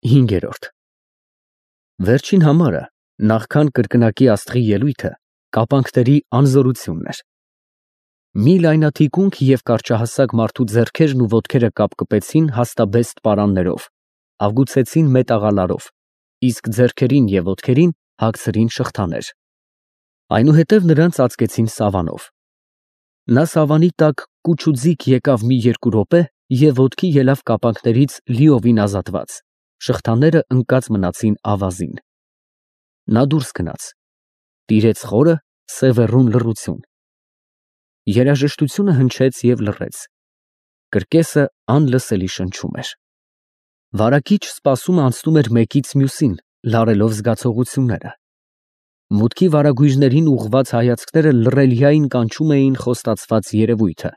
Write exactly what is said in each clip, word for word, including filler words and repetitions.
հինգերորդ Վերջին համարը, նախքան կրկնակի աստղի ելույթը, կապանքների անզորությունն էր։ Մի լայնաթիկունք և կարճահասակ մարդու ձեռքերն ու ոտքերը կապկպեցին հաստաբեստ պարաններով, աղուցեցին մետաղալարով, իսկ ձեռքերին և ոտքերին հագցրին շղթաներ, այնուհետև նրան ծածկեցին սավանով։ Նա սավանի տակ կուչուձիգ եկավ մի երկու րոպե և ոտքի ելավ կապանքներից լիովին ազատված, շղթաները ընկած մնացին ավազին։ Նա դուրս գնաց, տիրեց խորը, սևեռուն լռություն։ Երաժշտությունը հնչեց և լռեց, կրկեսը անլսելի շնչում էր։ Վարակիչ սպասումը անցնում էր մեկից մյուսին, լարելով զգացողությունները։ Մուտքի վարագույրներին ուղղված հայացքները լռելիային կանչում էին խոստացված երևույթը։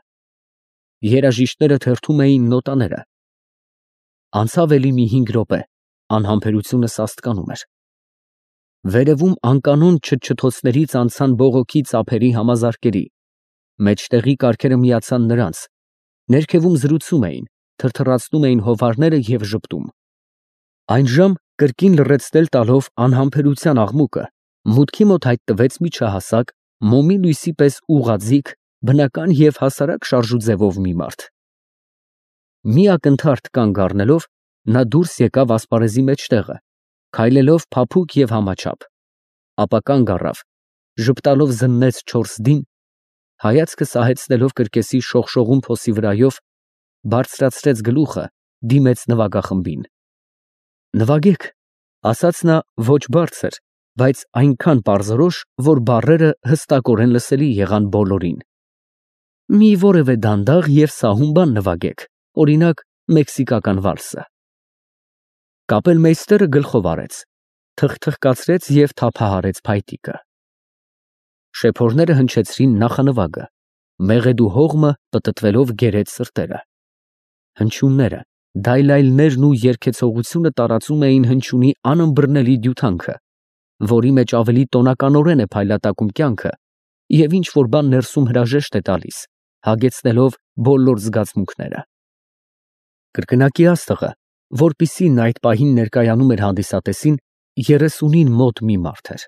Երաժիշտները թերթում էին նոտաները։ Անցավ էլի մի հինգ րոպե, անհամբերությունը սաստկանում էր։ Վերևում անկանոն չթչթոցներից անցան բողոքի ծափերի համազարկերի, մեջտեղի կառքերը միացան նրանց, ներքևում զրուցում էին, թրթռացնում էին հովհարները և ժպտում։ Այնժամ, կրկին լռեցնել տալով անհամբերության աղմուկը, մուտքի մոտ հայտնվեց միջահասակ, մոմի լույսի պես ուղղաձիգ, բնական և հասարակ շարժուձևով մի մարդ։ Մի ակնթարթ կանգ առնելով, նա դուրս եկավ ասպարեզի մեջտեղը, քայլելով փափուկ և համաչափ, ապա կանգ առավ, ժպտալով զննեց չորս դին, հայացքը սահեցնելով կրկեսի շողշողուն փոսի վրայով, բարձրացրեց գլուխը, դիմեց նվագախմբին։ Նվագեք, ասաց նա ոչ բարձր, բայց այնքան պարզորոշ, որ բառերը հստակորեն լսելի եղան բոլորին։ Մի որևէ դանդաղ և սահուն բան նվագեք, օրինակ, մեքսիկական վալսը։ Կապելմեյստերը գլխով արեց, թխթխկացրեց և թափահարեց փայտիկը։ Շեփորները հնչեցրին նախանվագը, մեղեդու հողմը պտտվելով գերեց սրտերը։ Հնչյունները, դայլայլներն ու երգեցողությունը տարածում էին հնչյունի անըմբռնելի դյութանքը, որի մեջ ավելի տոնականորեն է փայլատակում կյանքը և ինչ֊որ բան ներսում հրաժեշտ է տալիս, հագեցնելով բոլոր զգացմունքները։ Կրկնակի աստղը, որպիսին նա այդ պահին ներկայանում էր հանդիսատեսին, երեսունին մոտ մի մարդ էր։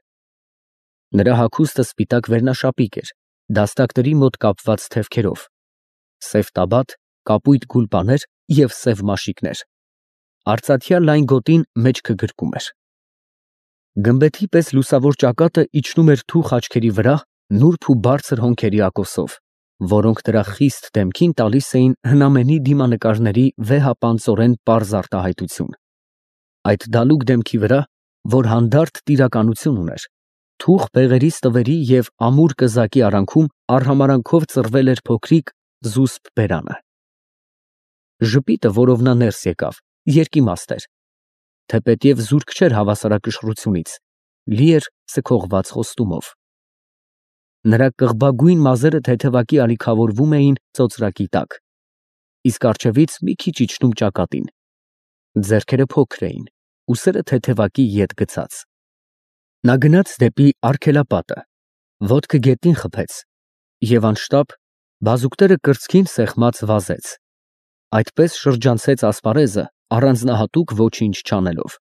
Նրա հագուստը սպիտակ վերնաշապիկ էր, դաստակների մոտ կապված թևքերով, սև տաբատ, կապույտ գուլպաներ և սև մաշիկներ, արծաթյա լայն գոտին մեջքը գրկում էր։ Գմբեթի պես լուսավոր ճակատը իջնում էր թուխ աչքերի վրա նուրբ ու բարձր հոնքերի ակոսով, որոնք նրա խիստ դեմքին տալիս էին հնամենի դիմանկարների վեհապանծորեն պարզ արտահայտություն։ Այդ դալուկ դեմքի վրա, որ հանդարտ տիրականություն ուներ, թուխ բեղերի ստվերի և ամուր կզակի արանքում արհամարանքով ծռվել էր փոքրիկ զուսպ բերանը։ Ժպիտը, որով նա ներս եկավ, երկիմաստ էր, թեպետև զուրկ չէր հավասարակշռությունից, լի էր սքողված խոստումով։ Նրա կղբագույն մազերը թեթևակի ալիքավորվում էին ծոծրակի տակ, իսկ առջևից մի քիչ իջնում ճակատին, ձեռքերը փոքր էին, ուսերը թեթևակի ետ գցած։ Նա գնաց դեպի արգելապատը, ոտքը գետնին խփեց և անշտապ, բազուկները կրծքին սեղմած, վազեց, այդպես շրջանցեց ասպարեզը առանձնահատուկ ոչինչ չանելով։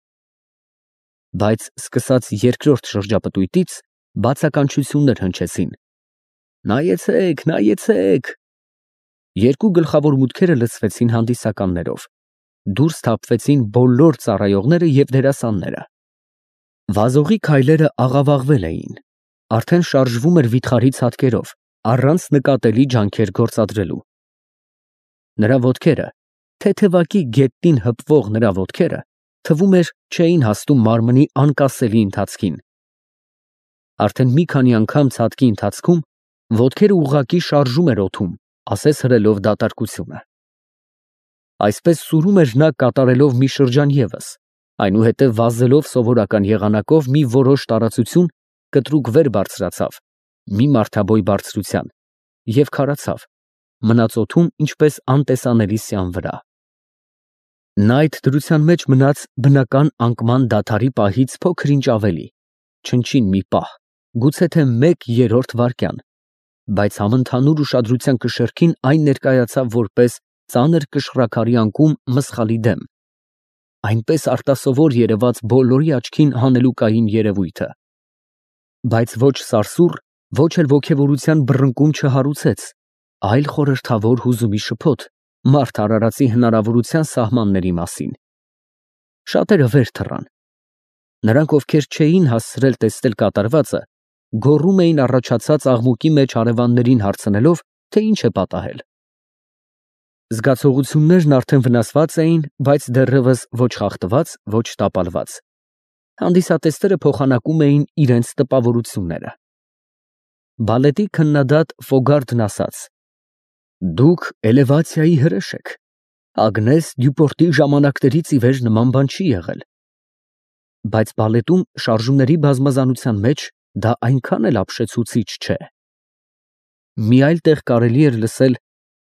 Բայց սկսած երկրորդ շրջապտույտից բացականչություններ հնչեցին. «Նայեցեք, նայեցեք»։ Երկու գլխավոր մուտքերը լցվեցին հանդիսականներով, դուրս թափվեցին բոլոր ծառայողները և դերասանները։ Վազողի քայլերը աղավաղվել էին, արդեն շարժվում էր վիթխարի ցատկերով, առանց նկատելի ջանքեր գործադրելու։ Նրա ոտքերը, թեթևակի գետնին հպվող նրա ոտքերը, թվում էր, չէին հասնում մարմնի անկասելի ընթացքին։ Արդեն մի քանի անգամ ցատկի ընթացքում ոտքերը ուղղակի շարժում էր օդում, ասես հրելով դատարկությունը։ Այսպես սուրում էր նա կատարելով մի շրջան ևս, այնուհետև վազելով սովորական եղանակով մի որոշ տարածություն, կտրուկ վեր բարձրացավ, մի մարդաբոյ բարձրության, և քարացավ, մնաց օդում ինչպես անտեսանելի սյան վրա։ Նա այդ դրության մեջ մնաց բնական անկման դադարի պահից փոքր-ինչ ավելի, չնչին մի պահ, գուցե թե մեկ երրորդ վայրկյան, բայց համընդհանուր ուշադրության կշեռքին այն ներկայացավ որպես ծանր կշռաքարի անկում մսխալի դեմ, այնպես արտասովոր երևաց բոլորի աչքին հանելուկային երևույթը։ Բայց ոչ սարսուռ, ոչ էլ ոգևորության բռնկում չհարուցեց, այլ խորհրդավոր հուզումի շփոթ մարդ արարածի հնարավորության սահմանների մասին։ Շատերը վեր թռան։ Նրանք, ովքեր չէին հասցրել տեսնել կատարվածը, գոռում էին առաջացած աղմուկի մեջ հարևաններին հարցնելով, թե ինչ է պատահել։ Զգացողություններն արդեն վնասված էին, բայց դեռևս ոչ խախտված, ոչ տապալված։ Հանդիսատեսները փոխանակում էին իրենց տպավորությունները։ Բալետի քննադատ Ֆոգարդն ասաց. «Դուք էլևացիայի հրեշ եք։ Ագնես Դյուպորտի ժամանակներից ի վեր նման բան չի եղել»։ Բայց բալետում շարժումների բազմազանության մեջ դա այնքան էլ ապշեցուցիչ չէ։ Մի այլ տեղ կարելի էր լսել.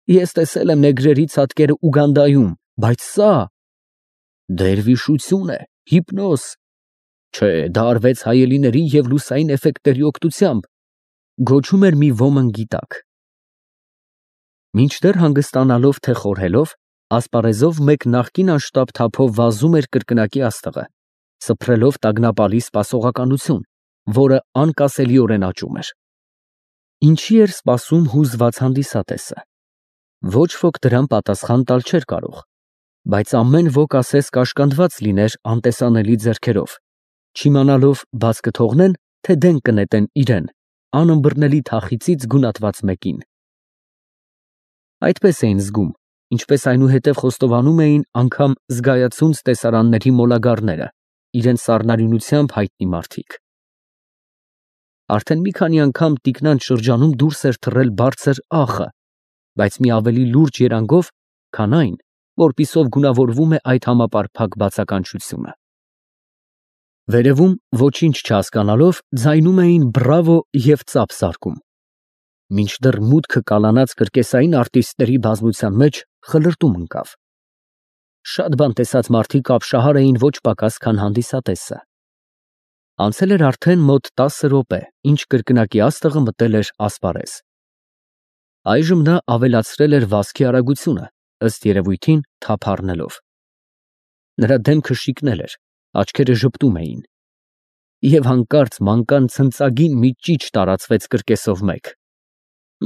«Ես տեսել եմ նեգրերի ցատկերը Ուգանդայում, բայց սա… դերվիշություն է, հիպնոզ… Չէ, դա արվեց հայելիների և լուսային էֆեկտների օգնությամբ», գոչում էր մի ոմն գիտակ։ Մինչդեռ հանգստանալով թե խորհելով, ասպարեզով մեկ նախկին անշտապ թափով վազում էր կրկնակի աստղը, սփռելով տագնապալի սպասողականություն, որը անկասելիորեն աճում էր։ Ինչի էր սպասում հուզված հանդիսատեսը։ Ոչ ոք դրան պատասխան տալ չէր կարող, բայց ամեն ոք ասես կաշկանդված լիներ անտեսանելի ձեռքերով, չիմանալով բաց կթողնեն, թե դեն կնետեն իրեն, անըմբռնելի թախիծից գունատված մեկին։ Այդպես էին զգում, ինչպես այնուհետև խոստովանում էին անգամ զգայացունց տեսարանների մոլագարները, իրենց սառնարյունությամբ հայտնի մարդիկ։ Արդեն մի քանի անգամ տիկնանց շրջանում դուրս էր թռել բարձր ախը, բայց մի ավելի լուրջ երանգով, քան այն, որպիսով գունավորվում է այդ համապարփակ բացականչությունը։ Վերևում, ոչինչ չհասկանալով, ձայնում էին բրավո և ծափ զարկում։ Մինչդեռ մուտքը կալանած կրկեսային արտիստների բազմության մեջ խլրտում ընկավ։ Շատ բան տեսած մարդիկ ապշահար էին ոչ պակաս, քան հանդիսատեսը։ Անցել էր արդեն մոտ տասը րոպե, ինչ կրկնակի աստղը մտել էր ասպարեզ։ Այժմ նա ավելացրել էր վազքի արագությունը, ըստ երևույթին թափ առնելով։ Նրա դեմքը շիկնել էր, աչքերը ժպտում էին։ Եվ հանկարծ մանկան ցնծագին մի ճիչ տարածվեց կրկեսով մեկ։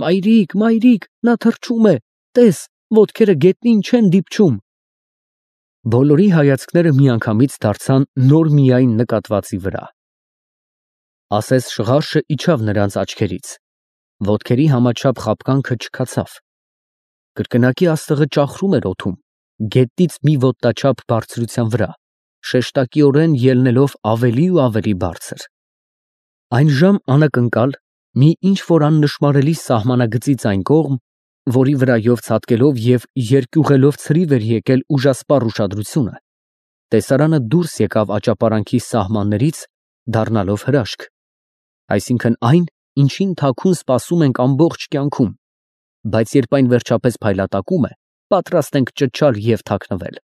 «Մայրիկ, մայրիկ, նա թռչում է, տես, ոտքերը գետնին չեն դիպչում»։ Բոլորի հայացքները միանգամից դարձան նոր միայն նկատվածի վրա։ Ասես շղարշը իջավ նրանց աչքերից, ոտքերի համաչափ խաբկանքը չքացավ։ Կրկնակի աստղը ճախրում էր օդում, գետից մի ոտնաչափ բարձրության վրա, շեշտակիորեն ելնելով ավելի ու ավելի բարձր։ Այն ժամ անակնկալ, մի ինչ-որ աննշմարելի սահմանագծից այն կողմ, որի վրայով ցատկելով և երկյուղելով ցրիվ էր եկել ուժասպառ ուշադրությունը, տեսարանը դուրս եկավ աճապարանքի սահմաններից, դառնալով հրաշք, այսինքն այն, ինչին թաքուն սպասում ենք ամբողջ կյանքում, բայց երբ այն վերջապես փայլատակում է, պատրաստ ենք ճչալ և թաքնվել։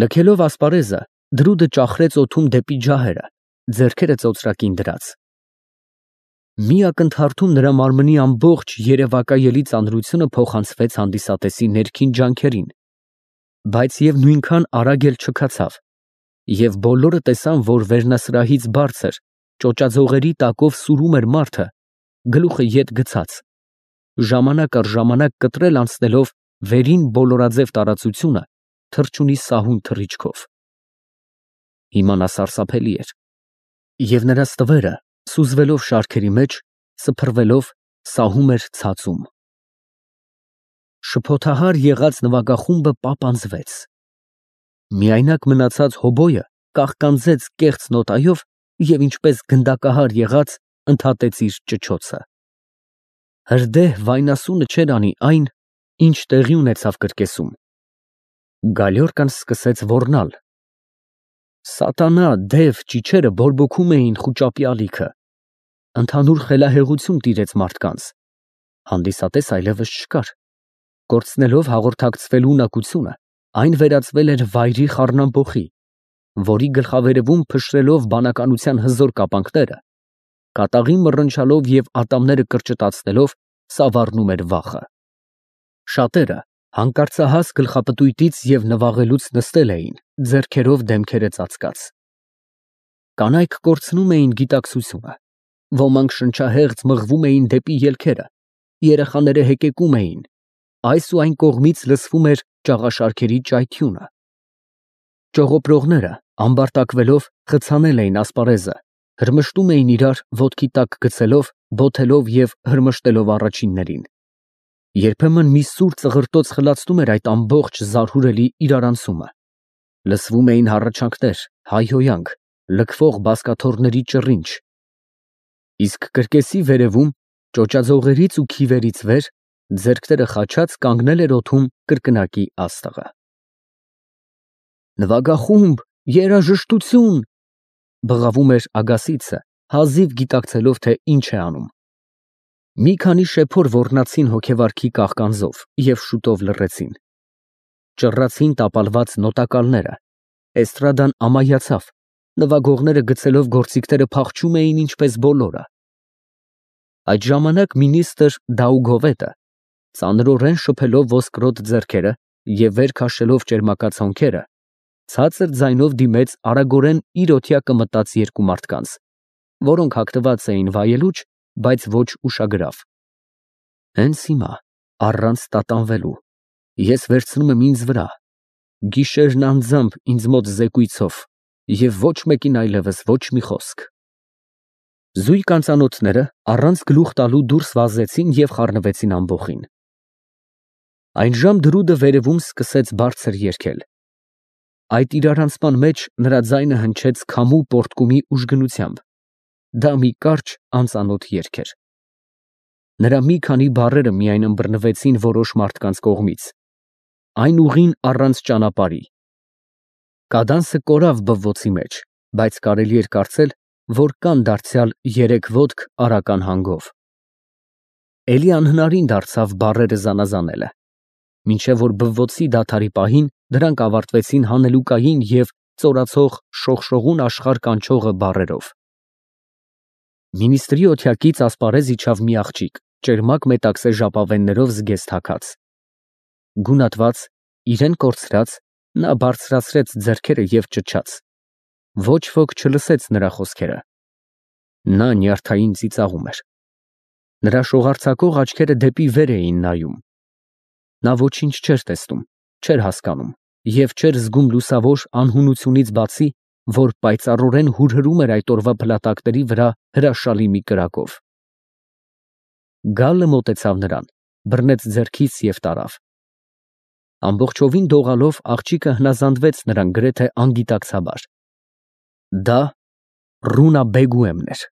Լքելով ասպարեզը, դրուդը ճախրեց օդում դեպի ջահերը, ձեռքերը ծոծրակին դրած։ Մի ակնթարթում նրա մարմնի ամբողջ երևակայելի ծանրությունը փոխանցվեց հանդիսատեսի ներքին ջանքերին, բայց և նույնքան արագ էլ չքացավ, և բոլորը տեսան, որ վերնասրահից բարձր, ճոճաձողերի տակով սուրում էր մարդը, գլուխը ետ գցած, ժամանակ առ ժամանակ կտրել անցնելով վերին բոլորաձև տարածությունը թռչունի սահուն թռիչքով։ Հիմա նա սարսափելի էր, և նրա ստվերը, սուզվելով շարքերի մեջ, սփռվելով, սահում էր ցածում։ Շփոթահար եղած նվագախումբը պապանձվեց։ Միայնակ մնացած հոբոյը կաղկանձեց կեղծ նոտայով և ինչպես գնդակահար եղած ընդհատեց իր ճչոցը։ Հրդեհ վայնասունը չէր անի այն, ինչ տեղի ունեցավ կրկեսում։ Գալյորկան սկսեց ոռնալ։ Սատանա, դև, ճիչերը բորբոքում էին խուճապի ալիքը։ Ընդհանուր խելահեղություն տիրեց մարդկանց։ Հանդիսատես այլևս չկար։ Կորցնելով հաղորդակցվելու ունակությունը, այն վերածվել էր վայրի խառնամփոխի, որի գլխավերևում փշրելով բանականության հզոր կապանքները, կատաղի մռնչալով և ատամները կրճտացնելով, սավառնում էր վախը։ Շատերը, Հանկարծահաս գլխապտույտից և նվաղելուց նստել էին, ձեռքերով դեմքերը ծածկած։ Կանայք կորցնում էին գիտակցությունը, ոմանք շնչահեղձ մղվում էին դեպի ելքերը, երեխաները հեկեկում էին, այս ու այն կողմից լսվում էր ճաղաշարքերի ճայթյունը։ Ճողոպրողները, ամբարտակվելով, խցանել էին ասպարեզը, հրմշտում էին իրար ոտքի տակ գցելով, բոթելով և հրմշտելով առաջիններին։ Երբեմն մի սուր ծղրտոց խլացնում էր այդ ամբողջ զարհուրելի իրարանցումը։ Լսվում էին հառաչանքներ, հայհոյանք, լքվող բազկաթոռների ճռինչ։ Իսկ կրկեսի վերևում, ճոճաձողերից ու քիվերից վեր, ձեռքները խաչած կանգնել էր օդում կրկնակի աստղը։ Նվագախումբ, երաժշտություն, բղավում էր Ագասիցը, հազիվ գիտակցելով, թե ինչ է անում։ Մի քանի շեփոր ոռնացին հոգեվարքի կաղկանձով և շուտով լռեցին։ Ճռռացին տապալված նոտակալները, էստրադան ամայացավ, նվագողները գցելով գործիքները փախչում էին ինչպես բոլորը։ Այդ ժամանակ մինիստրը Դաուգովետը, ծանրորեն շփելով ոսկրոտ ձեռքերը և վեր քաշելով ճերմակած հոնքերը, ցածր ձայնով դիմեց արագորեն իր օթյակը մտած երկու մարդկանց, որոնք հագնված էին վայելուչ, բայց ոչ ուշագրավ։ Հենց հիմա, առանց տատանվելու, ես վերցնում եմ ինձ վրա, գիշերն անձամբ ինձ մոտ զեկույցով և ոչ մեկին այլևս ոչ մի խոսք։ Զույգ անծանոթները առանց գլուխ տալու դուրս վազեցին և խառնվեցին ամբոխին։ Այնժամ դրուդը վերևում սկսեց բարձր երգել։ Այդ իրարանցման մեջ նրա ձայնը հնչեց քամու պոռթկումի ուժգնությամբ։ Դա մի կարճ, անծանոթ երգ էր։ Նրա մի քանի բառերը միայն ըմբռնվեցին որոշ մարդկանց կողմից, այն ուղին առանց ճանապարհի։ Կադանսը կորավ բվոցի մեջ, բայց կարելի էր կարծել, որ կան դարձյալ երեք ոտք արական հանգով։ Էլի անհնարին դարձավ բառերը զանազանելը, մինչև որ բվոցի դադարի պահին դրանք ավարտվեցին հանելուկային և ծորացող շողշողուն աշխարհ կանչողը բառերով։ Մինիստրի օթյակից ասպարեզ իջավ մի աղջիկ, ճերմակ մետաքսե ժապավեններով զգեստ հագած։ Գունատված, իրան կորցրած, նա բարձրացրեց ձեռքերը և ճչաց։ Ոչ ոք չլսեց նրա խոսքերը։ Նա նյարդային ծիծաղում էր։ Նրա շողարձակող աչքերը դեպի վեր էին նայում։ Նա ոչինչ չէր տեսնում, չէր հասկանում և չէր զգում լուսավոր անհունությունից բացի, որ պայծառորեն հուրհրում էր այդ օրվա փլատակների վրա հրաշալի մի կրակով։ Գալը մոտեցավ նրան, բռնեց ձեռքից և տարավ։ Ամբողջովին դողալով աղջիկը հնազանդվեց նրան գրեթե անգիտակցաբար։ Դա Ռունա Բեգուեմն էր։